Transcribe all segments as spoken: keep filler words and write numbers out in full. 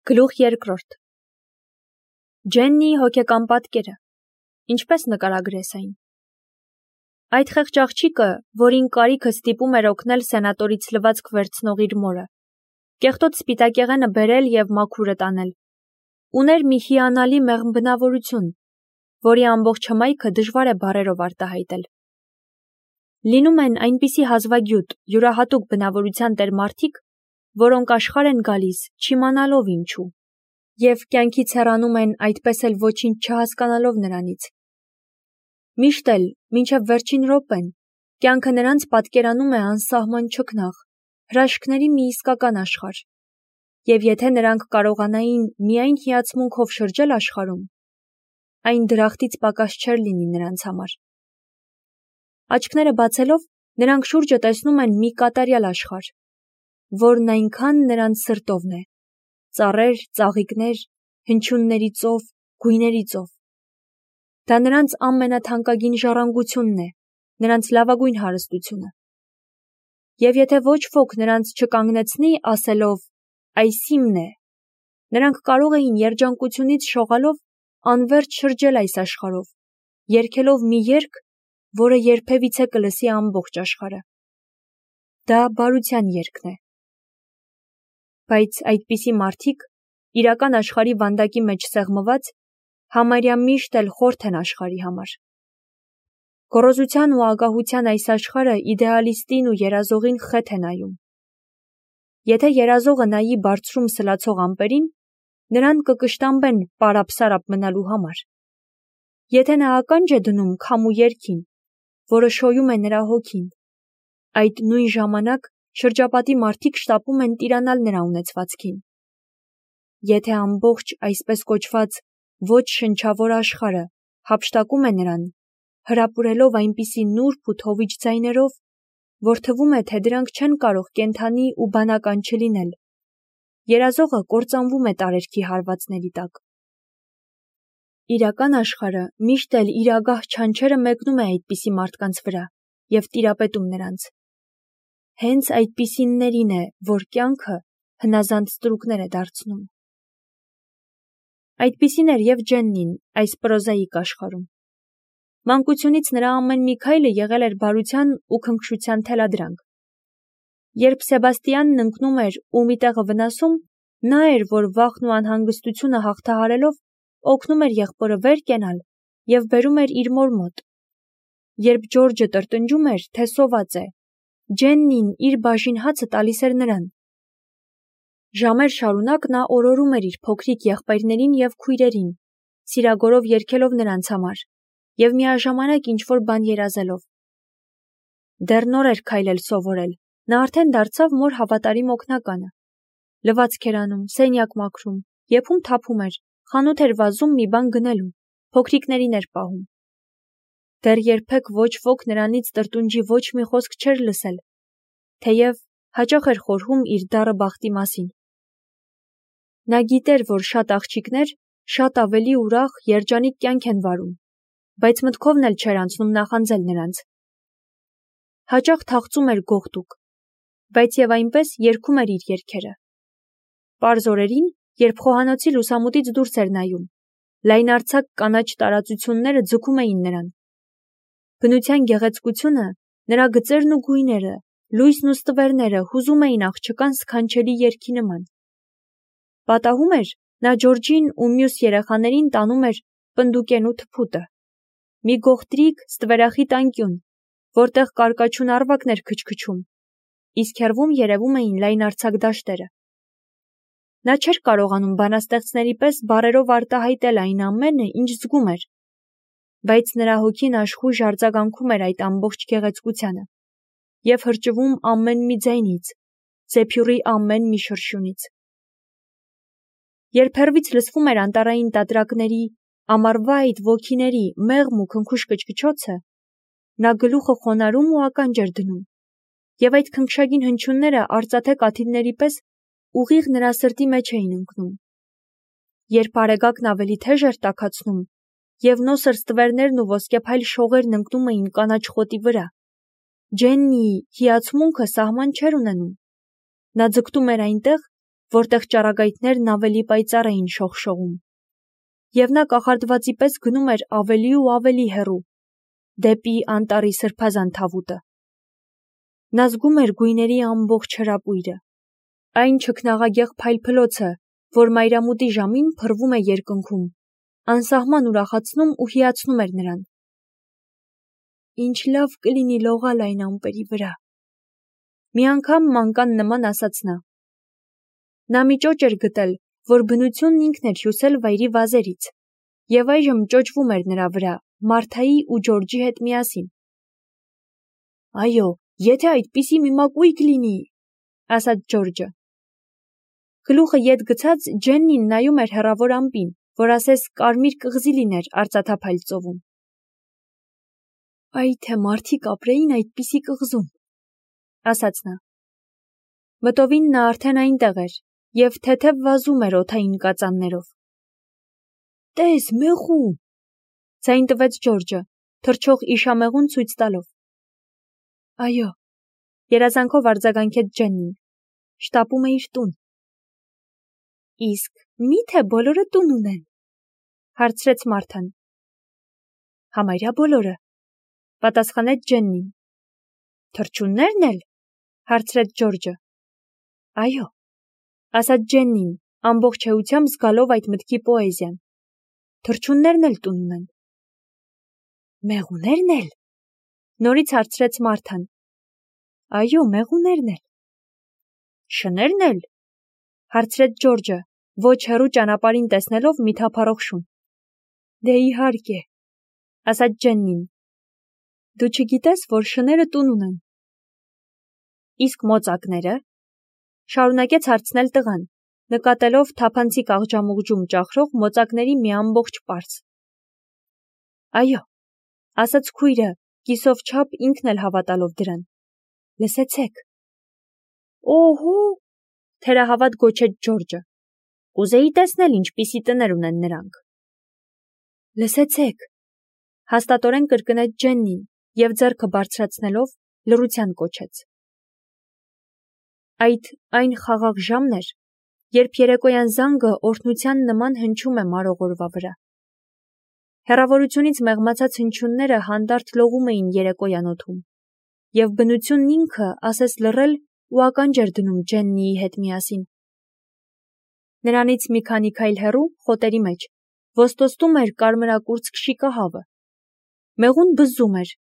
Գլուխ երկրորդ Ջեննիի հոգեկան պատկերը, ինչպես նկարագրես այն։ Այդ խեղճ աղջիկը, որին կարիքը ստիպում էր օգնել սենատորից լվացք վերցնող իր մորը, կեղտոտ սպիտակեղենը բերել և մաքուրը տանել, ուներ մի հիանալի մեղմ բնավորություն, որի ամբողջ հմայքը դժվար է բառերով արտահայտել։ Լինում են այնպիսի հազվագյուտ, յուրահատուկ բնավորության տեր մարդիկ, որոնք աշխարհ են գալիս, չիմանալով ինչու, և կյանքից հեռանում են այդպես էլ ոչինչ չհասկանալով նրանից։ Միշտ էլ, մինչև վերջին րոպեն, կյանքը նրանց պատկերանում է անսահման չքնաղ, հրաշքների մի իսկական աշխարհ, և եթե նրանք կարողանային միայն հիացմունքով շրջել աշխարհում, այն դրախտից պակաս չէր լինի նրանց համար։ Աչքները բացելով, նրանք շուրջը տեսնում են մի կատարյալ աշխարհ, որն այնքան նրանց սրտովն է, ծառեր, ծաղիկներ, հնչյունների ծով, գույների ծով։ Դա նրանց ամենաթանկագին ժառանգությունն է, նրանց լավագույն հարստությունը։ Եվ եթե ոչ ոք նրանց չկանգնեցնի ասելով «այս իմն է», նրանք կարող էին երջանկությունից շողալով անվերջ շրջել այս աշխարհով, երգելով մի երգ, որը երբևիցե կլսի ամբողջ աշխարհը։ Դա բարության երգն է։ Բայց այդպիսի մարդիկ, իրական աշխարհի վանդակի մեջ սեղմված, համարյա միշտ էլ խորթ են աշխարհի համար։ Գոռոզության ու ագահության այս աշխարհը իդեալիստին ու երազողին խեթ է նայում։ Եթե երազողը նայի բարձրում սլացող ամպերին, նրան կկշտամբեն պարապ-սարապ մնալու համար։ Եթե նա ականջ է դնում քամու երգին, որը շոյում է նրա հոգին, այդ նույն ժամանակ շրջապատի մարդիկ շտապում են տիրանալ նրա ունեցվածքին։ Եթե ամբողջ այսպես կոչված ոչ շնչավոր աշխարհը հափշտակում է նրան, հրապուրելով այնպիսի նուրբ ու թովիչ ձայներով, որ թվում է, թե դրանք չեն կարող կենդանի ու բանական չլինել, երազողը կործանվում է տարերքի հարվածների տակ։ Իրական աշխարհը միշտ էլ իր ագահ չանչերը մեկնում է այդպիսի մարդկանց վրա և տիրապետում նրանց։ Հենց այդպիսիններին է, որ կյանքը հնազանդ ստրուկներ է դարձնում։ Այդպիսին էր և Ջեննին այս պրոզաիկ աշխարհում։ Մանկությունից նրա ամեն մի քայլը եղել էր բարության ու քնքշության թելադրանք։ Երբ Սեբաստիանն ընկնում էր ու մի տեղը վնասում, նա էր, որ վախն ու անհանգստությունը հաղթահարելով, օգնում էր եղբորը վեր կենալ և բերում էր իր մոր մոտ։ Երբ Ջորջը տրտնջում էր, թե սոված է, Ջեննին իր բաժին հացը տալիս էր նրան։ Ժամեր շարունակ նա օրորում էր իր փոքրիկ եղբայրներին և քույրերին, սիրագորով երգելով նրանց համար և միաժամանակ ինչ-որ բան երազելով։ Դեռ նոր էր քայլել սովորել, նա արդեն դարձավ մոր հավատարիմ օգնականը։ Լվացք էր անում, սենյակ մաքրում, եփում թափում էր, խանութ էր վազում մի բան գնելու, փոքրիկներին էր պահում։ Դեռ երբեք ոչ ոք նրանից տրտունջի ոչ մի խոսք չէր լսել, թեև հաճախ էր խորհում իր դառը բախտի մասին։ Նա գիտեր, որ շատ աղջիկներ շատ ավելի ուրախ, երջանիկ կյանք են վարում, բայց մտքովն էլ չէր անցնում նախանձել նրանց։ Հաճախ թախծում էր գողտուկ, բայց և այնպես երգում էր իր երգերը։ Պարզ օրերին, երբ խոհանոցի լուսամուտից դուրս էր նայում, լայնարձակ կանաչ տարածությունները ձգում էին նրան։ Բնության գեղեցկությունը, նրա գծերն ու գույները, լույսն ու ստվերները հուզում էին աղջկան սքանչելի երգի նման։ Պատահում էր, նա Ջորջին ու մյուս երեխաներին տանում էր պնդուկենու թփուտը, մի գողտրիկ ստվերախիտ անկյուն, որտեղ կարկաչուն առվակն էր քչքչում, իսկ հեռվում երևում էին լայնարձակ դաշտերը։ Նա չէր կարողանում բանաստեղծների պես բառերով արտահայտել այն ամենը, ինչ զգում էր, բայց նրա հոգին աշխույժ արձագանքում էր այդ ամբողջ գեղեցկությանը և հրճվում ամեն մի ձայնից, զեփյուռի ամեն մի շրշյունից։ Երբ հեռվից լսվում էր անտառային տատրակների, ամառվա այդ ոգիների մեղմ ու քնքուշ կչկչոցը, նա գլուխը խոնարհում ու ականջ էր դնում, և այդ քնքշագին հնչյունները արծաթե կաթիլների պես ուղիղ նրա սրտի մեջ էին ընկնում։ Երբ արեգակն ավելի թեժ էր տաքացնում, և նոսր ստվերներն ու ոսկեփայլ շողերն ընկնում էին կանաչ խոտի վրա, Ջեննիի հիացմունքը սահման չէր ունենում։ Նա ձգտում էր այնտեղ, որտեղ ճառագայթներն ավելի պայծառ էին շողշողում, և նա կախարդվածի պես գնում էր ավելի ու ավելի հեռու, դեպի անտառի սրբազան թավուտը։ Նա զգում էր գույների ամբողջ հրապույրը, այն չքնաղագեղ փայլփլոցը, որ մայրամուտի ժամին փռվում է երկնքում, անսահման ուրախացնում ու հիացնում էր նրան։ Ինչ լավ կլինի լողալ այն ամպերի վրա։ Մի անգամ մանկան նման ասաց նա։ Նա մի ճոճ էր գտել, որ բնությունն ինքն էր հյուսել վայրի վազերից, և այժմ ճոճվում էր նրա վրա, Մարթայի ու Ջորջի հետ միասին։ Այո, եթե այդպիսի մի մակույկ լինի, ասաց Ջորջը։ Գլուխը ետ գցած Ջեննին նայում էր հեռավոր ամպին, որ ասես կարմիր կղզի լիներ արծաթափայլ ծովում։ Այ թե մարդիկ ապրեին այդպիսի կղզում, ասաց նա։ Մտովին նա արդեն այնտեղ էր և թեթև վազում էր օդային կածաններով։ Տես, մեղու, ձայն տվեց Ջորջը, թռչող իշամեղուն ցույց տալով։ Այո, երազանքով արձագանքեց Ջեննին, շտապում է իր տուն։ Իսկ մի՞թե բոլորը տուն ունեն, հարցրեց Մարթան։ Համարյա բոլորը, պատասխանեց Ջեննին։ Թռչուննե՞րն էլ, հարցրեց Ջորջը։ Այո, ասաց Ջեննին, ամբողջ էությամբ զգալով այդ մտքի պոեզիան։ Թռչուններն էլ տուն ունեն։ Մեղուներն էլ, նորից հարցրեց Մարթան։ Այո, մեղուներն էլ։ Շներն էլ, հարցրեց Ջորջը, ոչ հեռու ճանապարհին տեսնելով մի թափառող շուն։ Դե իհարկե, ասաց Ջեննին։ Դու չգիտես, որ շները տուն ունեն։ Իսկ մոծակները, շարունակեց հարցնել տղան, նկատելով թափանցիկ աղջամուղջում ճախրող մոծակների մի ամբողջ պարզ։ Այո, ասաց քույրը, կիսով չափ ինքն էլ հավատալով դրան։ Լսեցեք։ Օհո, թերահավատ գոչեց Ջորջը։ Կուզեի տեսնել ինչպիսի տներ ունեն նրանք։ Լսեցեք, հաստատորեն կրկնեց Ջեննին և ձեռքը բարձրացնելով լռության կոչեց։ Այդ այն խաղաղ ժամն էր, երբ երեկոյան զանգը օրհնության նման հնչում է մարող օրվա վրա։ Հեռավորությունից մեղմացած հնչյունները հանդարտ լողում էին երեկոյան օդում, և բնությունն ինքը ասես լռել ու ականջ էր դնում Ջեննիի հետ միասին։ Նրանից մի քանի քայլ հեռու, խոտերի մեջ, ոստոսում էր կարմրակուրծք շիկահավը։ Մեղուն բզզում էր,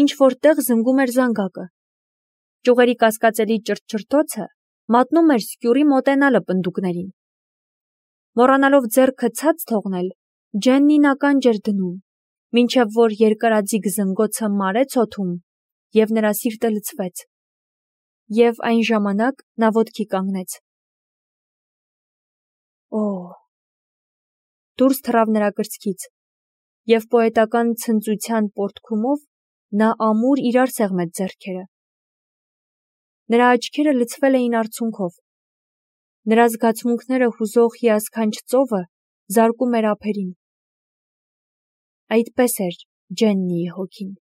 ինչ-որ տեղ զնգում էր զանգակը։ Ճյուղերի կասկածելի ճրթչրթոցը մատնում էր սկյուռի մոտենալը պնդուկներին։ Մոռանալով ձեռքը ցած թողնել, Ջեննին ականջ էր դնում, մինչև որ երկարաձիգ զնգոցը մարեց օդում, և նրա սիրտը լցվեց։ Եվ այն ժամանակ նա ոտքի կանգնեց։ Օ, դուրս թռավ նրա կրծքից, և պոետական ցնծության պոռթկումով նա ամուր իրար սեղմեց ձեռքերը։ Նրա աչքերը լցվել էին արցունքով։ Նրա զգացմունքները հուզող հիասքանչ ծովը զարկում էր ափերին։ Այդպես էր Ջեննիի հոգին։